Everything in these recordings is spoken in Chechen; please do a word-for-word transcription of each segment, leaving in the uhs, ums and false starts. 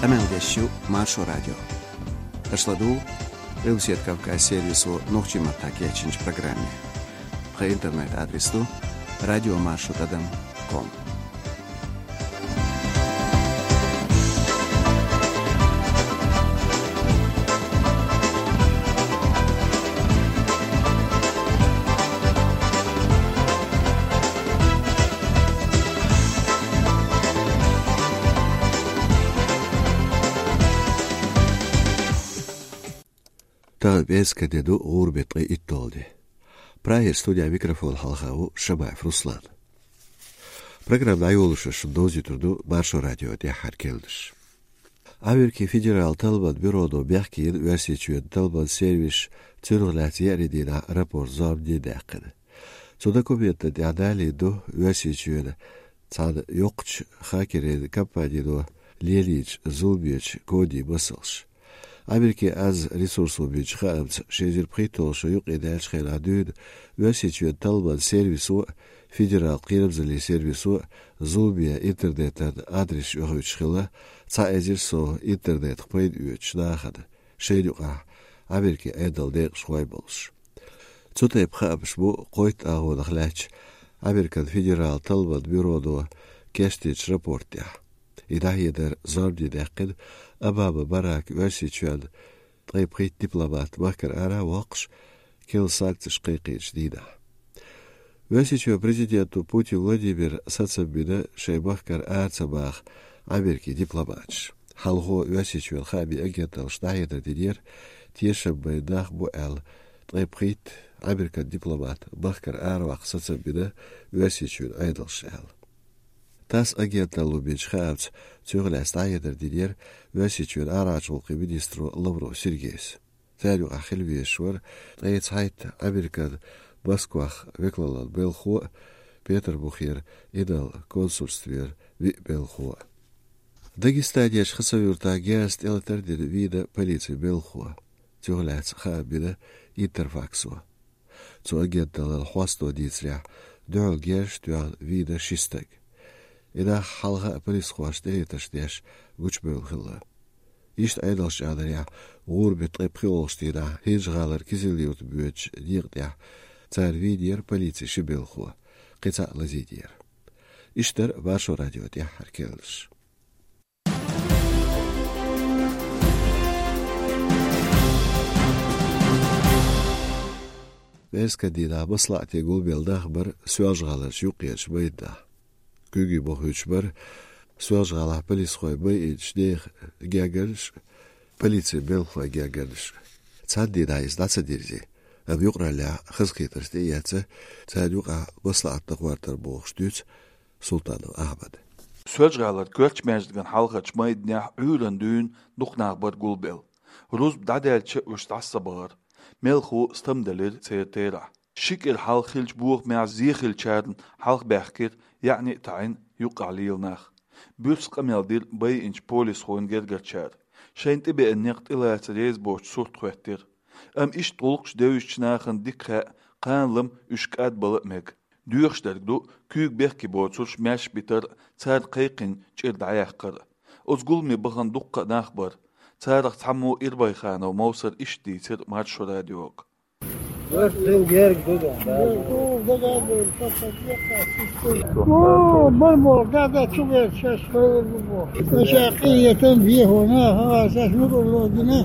Къамел деш ю Маршо радио. Аша ладугӀу Къилбаседа Кавказ сервисо нохчийн маттахь кечйинчу программе. Тхан интернет-адрес ду радиомаршо тӀадам ком. Тахана пӀераскан де ду, гӀуран беттан ткъе итталгӀа де. Прагера студехь микрофон хьалха ву Шамаев Руслан. Программа дӀайолош шуна довзуьйтур ду Маршо радион тӀаьххьара керланаш. Америкин федералан талламан бюро бехке йина Оьрсийчоьнан талламан сервисаш цунах лаьцна еарин дийнахь рапорт, зорбане даьккхина. Цу документана тӀехь далийна ду Оьрсийчоьнан цхьана йоккхачу хакерийн компанино лелийначу зуламечу кодийн масалш. Америкин аз ресурсо бинчу хаамца, ши эзар пхийтталгӀа шо юкъадаьллачу хенахь дуьйна Оьрсийчоьнан талламан сервисо а, федералан кхерамзаллин сервисо а зуламе интернетан адресаш оьхуьйтуш хилла, цхьа эзар сов интернетах пайда оьцучу нахана, шайна юкъахь Америкин Ӏедалан декъашхой болуш. Цу тайпа хаамаш бу кхойтта агӀонах лаьттачу Американ федералан талламан бюроно кечдинчу рапорт тӀехь. И дӀахьедар зорбане даьккхина Обама Барака Оьрсийчоьнна ткъе пхийтта дипломат махкара ара а воккхуш, керла санкцеш кхайкхийначу дийнахь. Оьрсийчоьнан президента Путин Владимира сацам бина шайн махкара ара ца баха Америкин дипломаташ. Хьалхо Оьрсийчоьнан хаамийн агенталлаша дӀахьедар динера, тешам бина нах бу аьлла, ткъе пхийтта Американ дипломат махкара араваккха сацам бина Оьрсийчоьнан Ӏедалша аьлла. ТАСС агенталло бинчу хаамца, цунах лаьцна дӀахьедар динера Оьрсийчоьнан арахьарчу гӀуллакхийн министро Лавров Сергейс. Царна юкъахь хила везаш вара ткъе цхьайтта Американ Москвахь векалаллин белхо а, Петарбухера инарла консульствера виъ белхо а. Дагестанерчу Хасавюртахь герзаца тӀелатар а дина вийна полицин белхо. Цунах лаьцна хаам бина Интерфаксо. Цу агенталлин хьосто дийцарехь, дуьхьал герзаш а тоьхна вийна ши стаг. И нах хьалха а полисхошна тӀелетарш деш гучубевлла хилла. Иштта Ӏедалша аьлларехь, гӀуран беттан ткъе пхоьалгӀачу дийнахь ХӀинжа-ГӀалара Кизил-Юрта боьдучу декъа тӀехь цара вийнера полицин ши белхо, кхин цхьаъ лазийнера. Иштта дара Маршо радион тӀаьххьара керланаш. ПӀераскан дийнахь маслаӀате гулбелла нах бара Соьлжа-ГӀаларчу юккъерчу майданахь. Куьйгий бохуьйтуш бара Соьлжа-ГӀалахь полисхой байинчу нехан гергарнаш а, полицин белхалойн гергарнаш а. Цхьана дийнахь иза дӀа ца дирзи, амма юкъараллехь хазахетарш тӀеэцна, царна юкъахь маслаӀат дан гӀортар бохуш дуьйцу Султанов Ахьмада. Соьлжа-ГӀалара коьртачу маьждигна хьалхарчу майданехь Ӏуьйранна дуьйна дукха нах бара гулбелла. Рузба дӀадаьлча, уьш дӀаса ца бахара. Мелхо стамделира церан терахь. Ши кӀира хьалха хиллачу бохамехь зе хиллачарна хьалхабаьхкира яьӀни а таӀийна юккъехь лела нах. Буьрса къамел дира байинчу полисхойн гергарчара. Шайна тӀебеана некъ тӀелаца реза боцчу сурт хӀоьттира. Амма иштта гӀуллакхаш девзачу нахана дика хаьа, кхана-лама уьш кӀадбала а мега. Доьхуш дерг ду, куьйга бехке боцурш маьрша битар а, царна кхайкхина чӀир дӀаяккхар а. Оцу гуламе бахана дуккха а нах бара. Царах цхьаммо Ирбайханов Мовсара иштта дийцира Маршо радиога. О, бар боху, да, да, чу гӀерташ, хӀара бу боху. Ша къинхетам бехо, наха, ша мукъарло гина,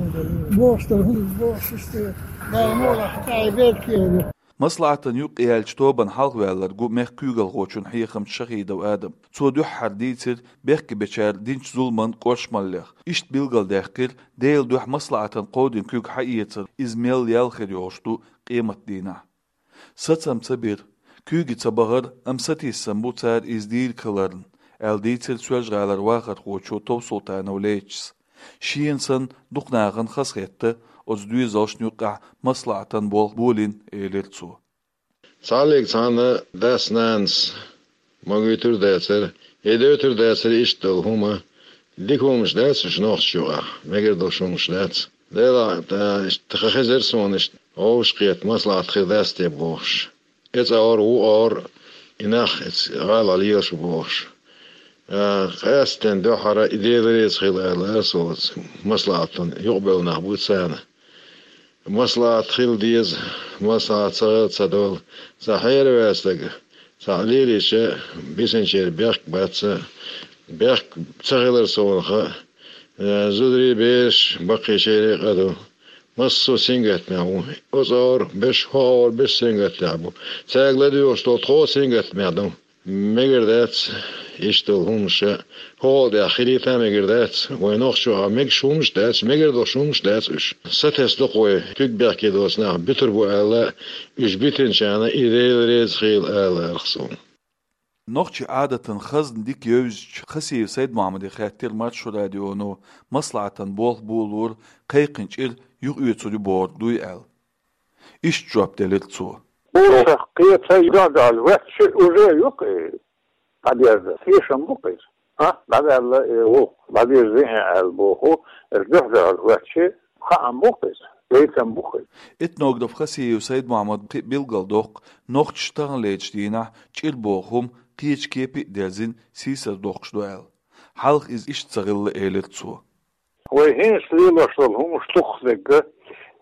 бохуш дара, хӀунда бохуш, иштта, дай молахь, дай беткера. МаслаӀатана юкъаяьллачу тобанна хьалхаваьлларг ву мехкан куьйгалхочун хьехамча Шахидов Адама. Цо дуьххьара дийцира бехкебечара динчу зуламан кӀоршамаллех. Иштта билгалдаьккхира, Делан дуьхьа маслаӀатана кховдийна куьг хьаэцар, иза мел ял хир йолуш ду къематдийнахь. Сацам ца бира. Куьйга ца бахара, амма сатийсам бу цара иза дийриг хиларна, аьлла дийцира Соьлжа-ГӀалара вахархочо Товсултанов Лечис. Шена санна дукха нахана хазахетта оцу доьзалшна юккъехь маслаӀатан болх болийна, элира цо. Цхьаллиг цхьана дас-нанас магуьйтур а дацара, и дойтур а дацара иштта долу хӀума. Дика хӀуманаш дац уьш нохчашна юкъахь, мегар долуш хӀуманаш дац. Делахь, тхан хезира суна иштта вовшахкхетта маслаӀат хир дац те бохуш. Эцу ора, ву ора, и нах эцу гӀала лелаш бу бохуш. А, къаьстина дуьххьара и Дела реза хила аьлла ас оцу маслаӀатан юкъабевлла нах бу царна. МаслаӀат хила деза, маслаӀат ца хила ца долу, цхьа хьераваьлла стаг, цхьаъ лелийча, бисинчеран бехк бац, бехк ца хилар совнаха, э, зударий, бераш, баккхийчерий къа ду. Массо а сингаттамехь ву. Оцу агӀор берш, хӀокху агӀор берш сингаттамехь бу. Цаьрга ладоьгӀуш долу тхо а сингаттамехь ду. Мегар дац иштта долу хӀуманаш, хӀокхул тӀехь хилийта а мегар дац. Вайн нохчо а мегаш хӀуманаш дац, мегар долуш хӀуманаш дац уьш. Сатесна ду-кх вай, куьг бехке доцу нах буьтур бу аьлла, уьш битинчарна и Дела реза хила ала арх суна. Нохчийн Ӏадатан хазна дика евзачу Хасиев Сайд-Мухьаммаде хаьттира Маршо радионо маслаӀатан болх болор кхайкхина чӀир юхаоьцур ю бохург дуй аьлла. Иштта жоп делира цо. Буса кхета юьхьа даьлла ваьчча уже ю-кх и дӀадерза. Тешам бу-кх иза. А, дӀадаьлла и ву, дӀадирзина аьлла боху, эр дуьхьа даьлла ваьчча, хаам бу-кх иза, гайтам бу-кх иза. Этнограф Хасиев Сайд-Мухьаммад кхин а билгалдоккху, нохчаша таханлерчу дийнахь чӀир боху хӀума кхечу кепе а дерзина, сийсар доккхуш ду аьлла. Хьалха иза иштта ца хилла, элира цо. Вай хӀинца лелош долу хӀумаш дукхах дерг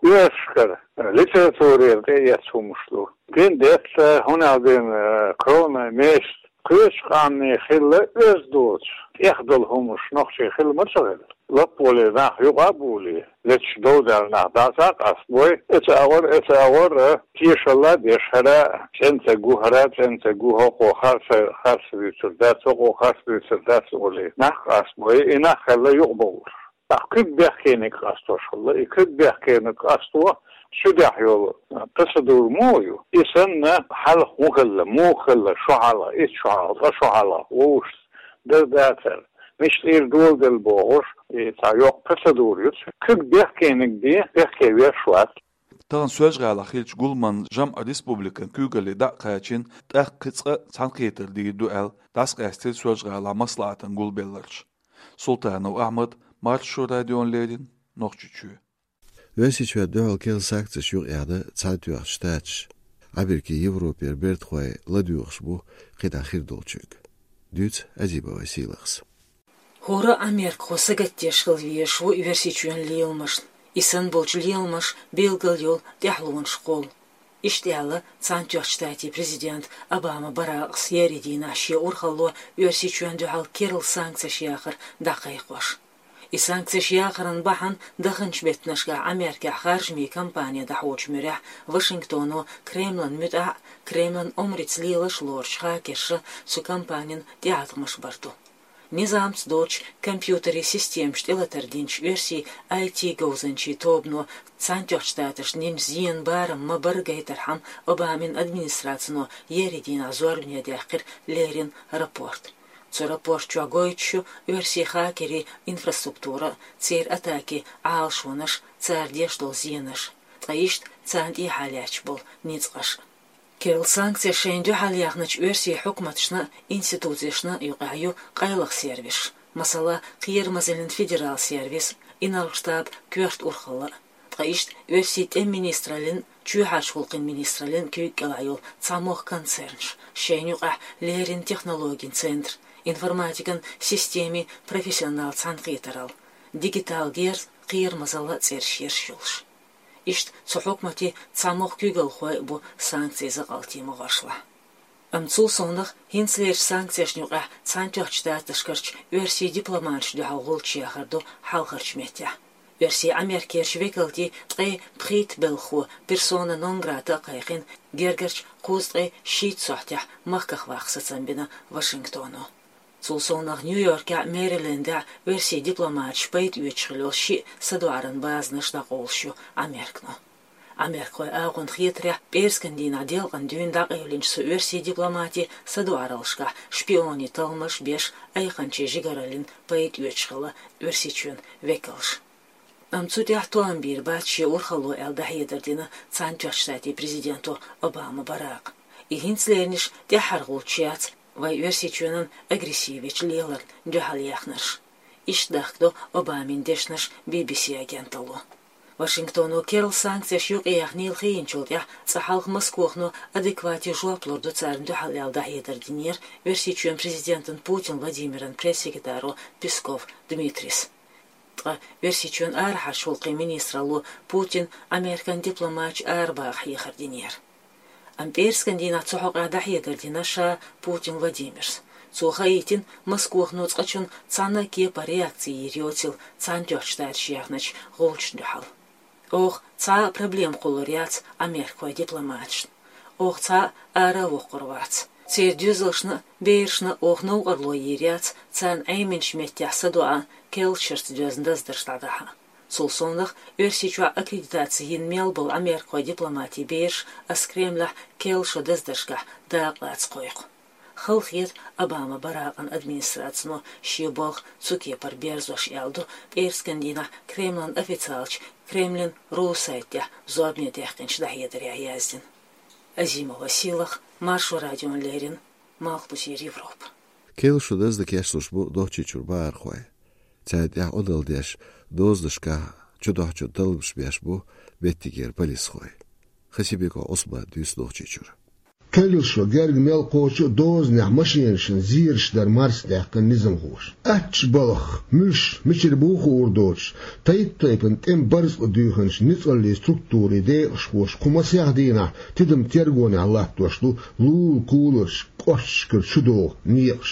оьрсашкара, литературера тӀеэцна хӀумаш ду. Дин, детта, хӀунда аьлла дина, кровная месть, кхечу къаьмнийн хилла оьзда доцуш, тӀех долу хӀумаш нохчийн хилла ма ца хилла. Лаппале нах юкъа а булий, леташ дов даьлла нах дӀаса а къастабой, эца агӀор, эца агӀор, тешалла а деш, хӀара цӀена ца гу, хӀара цӀена ца гу, хӀокхо харц, харц дуьйцур дац, хӀокхо харц дуьйцур дац олий, нах къастабой, и нах хилла юкъабовлуш. Ахь куьг бехкениг къастош хилла, и куьг бехкениг къасто цу тӀехь йолу процедура муха ю? И санна, хьалха хӀун хилла, муха хилла, шо хьалха, итт шо хьалха, ткъа шо хьалха, вовшашца дара дацара, мича тӀера доладелла бохуш, и цхьа йоккха процедура ю. Куьг бехкениг бен бехке веш вац. Тахана Соьлжа-ГӀалахь хиллачу гуламан жамӀ республикан куьйгалле дӀа а кхачийна, тӀаккха кхин цкъа а цхьаьнакхетар дийр ду аьлла, дӀасакъаьстира Соьлжа-ГӀалахь маслаӀатан гулбелларш. Султанов Ахьмад, Маршо радиона леррина, Нохчийчоь. Оьрсийчоьнна дуьхьал керла санкцеш юкъаяьхна Цхьаьнатоьхначу Штаташа. Америкин, Европера бертахой ладоьгӀуш бу кхидӀа хир долчуьнга. Дуьйцу Азибова Сийлахьас. ХӀора а америкахо сагатдеш хила везаш ву Оьрсийчоьнан леламашна. И санна болчу леламаша билгал йолу тӀаьхьалонаш кхолла. Иштта аьлла Цхьаьнатоьхначу Штатийн президента Обама Баракъас еарин дийнахь шен урхалло Оьрсийчоьнна дуьхьал керла санкцеш яхар дӀакхайкхош. И санкцеш яхаран бахьана даханчу беттанашкахь Америкехь харжамийн кампани дӀахьочу муьрехь Вашингтоно Кремлан муьтӀахь а, Кремлан омрица лелаш а лоручу хакерша цу кампанин тӀеӀаткъамаш бар ду. Низамца доцучу компьютерийн системаш тӀелатар динчу оьрсийн I T говзанчийн тобано Цхьаьнатоьхначу Штаташна динчу зенан барам ма-барра гайтархьама, Обамин администрацино еарин дийнахь зорбане даьккхира леррина рапорт. Цу рапорт чохь гойтуш ю оьрсийн хакерийн инфраструктура, церан атакийн Ӏалашонаш, цара деш долу зенаш, ткъа иштта царна тӀехьа лаьтташ болу ницкъаш. Керла санкцеш шайна дуьхьал яьхначу оьрсийн хьукматашна а, институцешна а юкъахь ю къайлаха сервисаш, масала, кхерамазаллин федерал сервис, инарла штаб, коьрта урхалла. Ткъа иштта оьрсийн тӀеман министраллин, чоьхьарчу гӀуллакхийн министраллин куьйга кӀелахь йолу цхьа могӀа концернаш, шайна юкъахь леррина технологийн центр, информатикан системийн профессионал цхьаьнакхетаралла, дигитал герз, кхерамазалла цӀераш ерш йолуш. Иштта цу хьукматийн цхьа могӀа куьйгалхой а бу санкцийн закъалтийн могӀаршлахь. Амма цул совнаха, хӀинцалерчу санкцешна юкъахь Цхьаьнатоьхначу Штаташкарчу оьрсийн дипломаташна дуьхьал гӀулч яхар ду хьалхарчу меттехь. Оьрсийн Америкерчу векалтийн ткъе пхийтта белхахо персона нон грата а кхайкхина гергарчу кхузткъе шийтта сохьтехь махках ваккха сацам бина Вашингтоно. Цул совнаха Нью-Йоркехь а, Мэрилендехь а оьрсийн дипломаташ пайда оьцуш хилла йолу шиъ садоӀаран базанаш дӀакъовлуш ю Американо. Америкахойн агӀонна хетарехь, пӀераскан дийнахь делкъана дуьйна дӀакъевлинчу цу оьрсийн дипломатийн садоӀараллашкахь шпионийн талламаш беш, айханчийн жигараллин пайда оьцуш хилла Оьрсийчоьнан векалш. Амма цу тӀехь тоам бийр бац шен урхалло аьлла дӀахьедар дина Цхьаьнатоьхначу Штатийн президенто Обама Баракъа. И хӀинцалернаш тӀаьххьара гӀулч яц вай Оьрсийчоьнан агрессивечу леларна дуьхьал яьхнарш. Иштта дахкадо Обамин дешнаш Би-Би-Си агенталло. Вашингтоно керла санкцеш юкъаяьхнийла хийначул тӀаьхьа цкъа хьалха Москвахо адеквате жоп лур ду царна дуьхьал аьлла дӀахьедар динера Оьрсийчоьнан президентан Путин Владимиран пресс-секретаро Песков Дмитрийс. Ткъа Оьрсийчоьнан арахьарча гӀулакхийн министралло Путин Ӏамеркан дипломаташ арабаха хьехар динера. Амма пӀераскан дийнахь цу хьокъехь дӀахьедар дина ша Путин Владимира. Цо хаийтина, Москвахо цкъачунна цхьана а кепара реакци йийр йоцийла Цхьаьнатоьхначу Штаташа яьхначу гӀулчашна дуьхьал. Оха цхьа а проблема кхуллур яц Ӏамеркахойн дипломаташна. Оха цхьа а ара а воккхур вац. Церан доьзалшна а, берашна а оха новкъарло йийр яц царна Ӏеминчу меттехь садоӀа, керлачу шарца доьзна даздарш дӀадахьа. Цул совнаха, Оьрсийчохь аккредитаци йина мел болу Ӏамеркахойн дипломатийн бераш ас Кремлехь керла шо даздаршкахь дакъа лаца кхойкху. Хала хета Обама Баракъан администрацино шен болх цу кепара берзош, аьлла ду пӀераскан дийнахь Кремлан официалчу Кремлин ру сайтехь зорбане даьккхинчу дӀахьедарехь яздина. Азимова Сийлаха, Маршо радиона леррина, Малхбузера Европа. Керла шо даздан кечлуш бу Нохчийчуьра бахархой. Царна тӀехь Ӏодалла деш, дозанашкахь чудохьучун талламаш беш бу меттигера полисхой. Хасибеков Ӏусмана дуьйцу Нохчийчуьра. Керла шо герга мел кхочу а дозанехь машенашна зераш дар марсадаьккхина низамхоша. Аттачу балхах, муьлш мичара бу хуур доцуш, тайп-тайпана тӀеман барзкъа дуьйхинчу ницкъаллийн структурийн декъашхоша кху масех дийнахь тидам-тергонехь латтош ду лулахь куларш, кӀошташкара чудогӀу некъаш.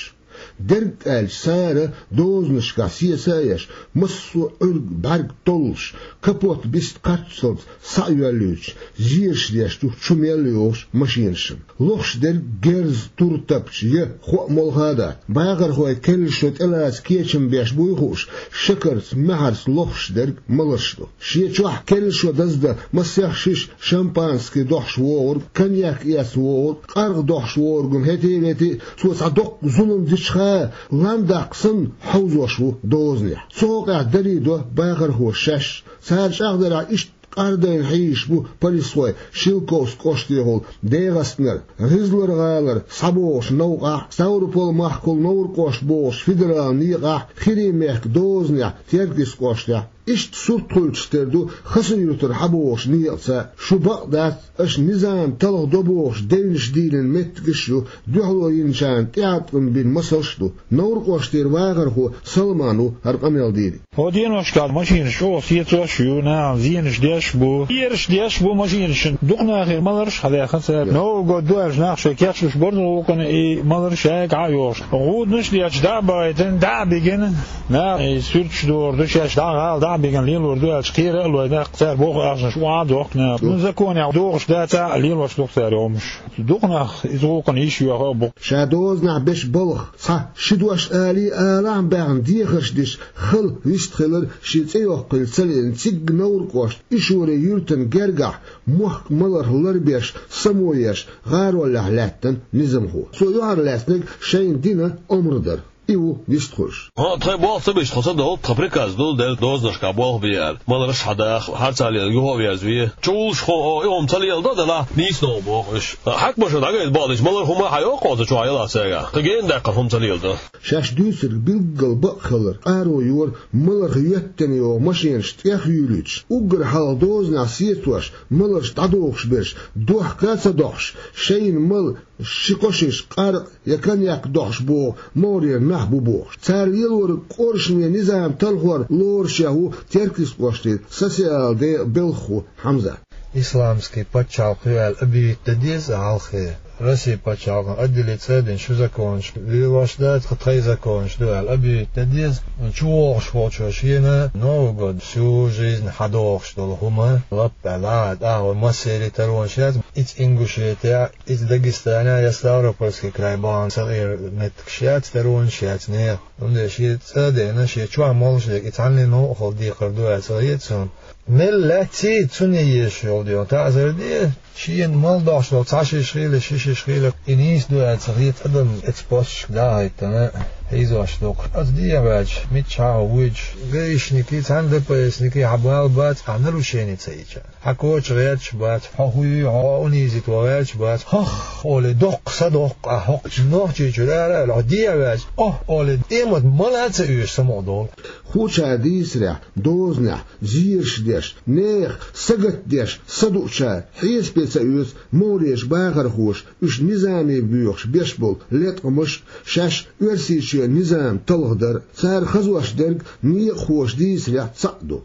Дерг аьлча, цара дозанашкахь сеца а еш, массо а Ӏуьрг, бӀаьрг толлуш, капот биста кхаччалц схьа а йоьллуьйтуш, зераш деш ду чу мел йогӀучу машенашна. Лохуш дерг герз, тур тапча я, хӀоъ, молха а дац. Бахархой керла шо тӀелаца кечам беш буй хууш, шекарца, маьхьарца лохуш дерг маларш ду. Шен чохь керла шо даздан масех шиша шампанский дохьуш вогӀург, коньяк эцна вогӀург, къаргӀа дохьуш вогӀург хӀетте а, вете а, цо цхьа доккха зулам дича а, ландаккха санна хьовзош ву дозанехь. Цу хьокъехь даре до бахархоша шаьш. Цара чӀагӀдарехь, иштта къардайна хьийзаш бу полисхой Шелковски кӀоштехула ДегӀастанара, ГӀизлар-гӀалара схьабогӀучу новкъахь, Ставрополь-махкахула Невран кӀошт богӀучу федералан некъахь, ХӀирийн мехкан дозанехь Теркйист кӀоштехь. Иштта сурт хуьлуш тера ду Хасавюртара схьабогӀучу некъаца. Шу бакъ дац, аша низам талхадо бохуш девнаш дийлина меттигаш а ю, дуьхьало йинчарна тӀеӀаткъам бина масалш а ду. Невран кӀоштера вахархо Салман ву хӀара къамел дийриг. ХӀокху деношкахь машинаш чӀогӀа сецош а ю, нахана зенаш деш а бу, зераш деш а бу машинашна. Дукха нахера маларш а хьадаьхна цара. Новый год ду аьлча, нах шайн кечлуш, барзан гӀуллакхана и маларш шайга а йохуш, гӀуданаш а детташ, дӀа а бахийтина, дӀа а бигина, наха и суьрташ дохур ду, шаьш дӀа гӀала дӀа а бигина лелор ду аьлча, кхера а лой, нах цара боху ахчанаш охьа а дохку наха. Ну, законехь дохуш дацахь а, лелош ду-кх цара и хӀумаш. Дукха нах иза гӀуллакхана йиш йоьху а бу-кх. Ша дозанехь беш балха цхьа ши дош алий а, алахьа баьхна дехарш деш, хала вистхилар шен цӀе йоккхийла ца лиъна, цигга Невран кӀоштан Ишуре юьртана гергахь мохк маларх ларбеш, само еш, гӀаролехь лаьттина низамхо. Цо юьхьарлаьцнарг шайна дина омра дара. И ву вистхуьлуш. ХӀаъ, тхайн болх ца беш тхо ца довлу, тхан приказ ду делла дозанашкахь болх бе аьлла, маларш а хьадаха, харцахьа лела юха а верзаве. Чувуллуш хӀун, о, и хӀума ца леладо делахь, нийса новкъа боху уьш. Хьаькамаша дӀагайта бакъдича, малар хӀума а хьайоккху оцу чохь ялахь цигахь. Кхин гена даьккхина хӀума ца леладо. Шаьш дуьйцург билггал бакъ хилар къаро йора маларх йоьттина йогӀу машенаш тӀех юьйлуьйтуш, уггар хьалха дозанехь сецош, маларш дӀадохуш берш, дохка а ца дохьуш, шайна мала ши-кхо шиша къаркъа я коньяк дохьуш богӀу могӀарера нах бу бохуш. Цара лелориг къоршаме низам талхор лорушехь ву Теркйист кӀоштера социалан декъан белхахо Хьамзат. Исламский пачхьалкх ю аьлла объявить дан деза хьалххе. Россин пачхьалкхана отделить цӀа а дина, шу законаш лелош дац, кху тхайн законаш ду аьлла объявить дан деза. ЧувогӀуш волчо шена Новый год, всю жизнь хьадогӀуш долу хӀума лап аьлла, а, тӀаккха массеран таронаш яц, иза Ингушетехь, иза Дагестанехь я Ставропольский край бахьана ца хилар меттигаш яц, таронаш яц нехан. Цундела шен цӀа а дина, шен чохь молуш дерг и цхьанне новкъахула декхар ду аьлла ца хета суна. Мел лаьцций цунна езаш йолу дела, таӀзар де, шена мала дохьуш долу цхьа шиша хила, ши шиша хила, и нийса ду аьлла ца хета адамна эцу посташка дӀа а хӀиттина. Хьийзош дукха. Ас дехьаваьлча, миччахьа вуьйцуш, гаишники, цхьана Д П С-ники хьан бала бац, ахь нарушени ца йича. Хьан коча гӀерташ бац, хьо хӀун ю, хьо унизить ван гӀерташ бац. Хох, олий, доккха са доккха, ахь хӀокху Нохчийчуьра ара а аьлла, хьо дехьаваьлча, ох, олий, тӀемат мала а ца оьшу самукъадолу. Хуча дийцарехь, дозанехь, зераш деш, нехан сагатдеш, садуучара хьесапе ца оьцу мугӀарерчу бахархоша, уьш низаме боьхуш беш болу леткъамаш, шаьш Оьрсийчоьнан низам талхадар, цара хазош дерг некъахоша дийцарехь цхьаъ ду.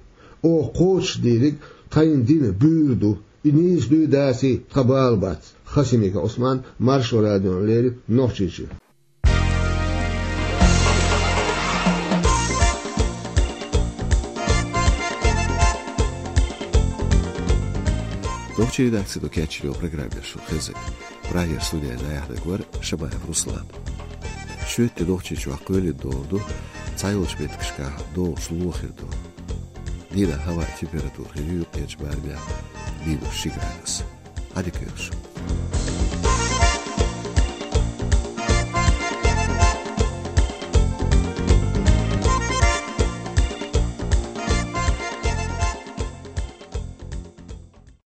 Оха кхочушдийриг тхайна дина буьйр ду. И нийса дуй, даций, тхан бала бац. Хасимиков Ӏусман, Маршо радиона леррина, Нохчийчоь. Нохчийн редакцино кечйинчу программе шун хезира. Прагера студехь дӀаяьхьнарг вара Шамаев Руслан. Шоьтан Нохчийчохь кхоьлина догӀу ду, цхьайолчу меттигашкахь догӀуш лоьхур ду. Дийнахь хӀаваан температура хир ю юккъерчу барамехь минус ши градус. Ӏадика йойла шун.